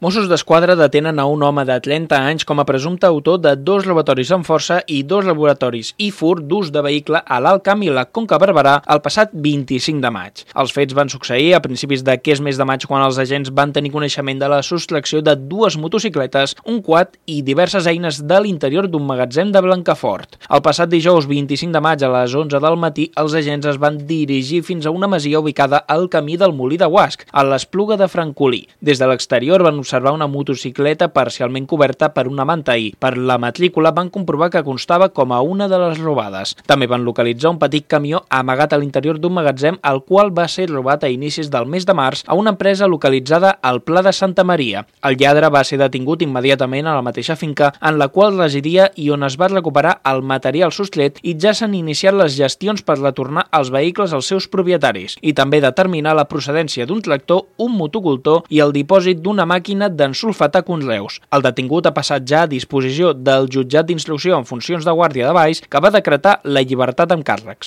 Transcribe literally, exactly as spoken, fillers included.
Mossos d'Esquadra detenen a un home de trenta anys com a presumpte autor de dos robatoris amb força i dos laboratoris i fur d'ús de vehicle a l'Alt Camp i la Conca Barberà el passat vint-i-cinc de maig. Els fets van succeir a principis d'aquest mes de maig quan els agents van tenir coneixement de la sostracció de dues motocicletes, un quad i diverses eines de l'interior d'un magatzem de Blancafort. El passat dijous vint-i-cinc de maig a les onze del matí, els agents es van dirigir fins a una masia ubicada al camí del Molí de Guasc, a l'Espluga de Francolí. Des de l'exterior van observar una motocicleta parcialment coberta per una manta i, per la matrícula, van comprovar que constava com a una de les robades. També van localitzar un petit camió amagat a l'interior d'un magatzem, el qual va ser robat a inicis del mes de març a una empresa localitzada al Pla de Santa Maria. El lladre va ser detingut immediatament a la mateixa finca en la qual residia i on es va recuperar el material sostret, i ja s'han iniciat les gestions per retornar els vehicles als seus propietaris i també determinar la procedència d'un tractor, un motocultor i el dipòsit d'una màquina d'ensulfatar conreus. El detingut ha passat ja a disposició del jutjat d'instrucció en funcions de Guàrdia de Valls, que va decretar la llibertat amb càrrecs.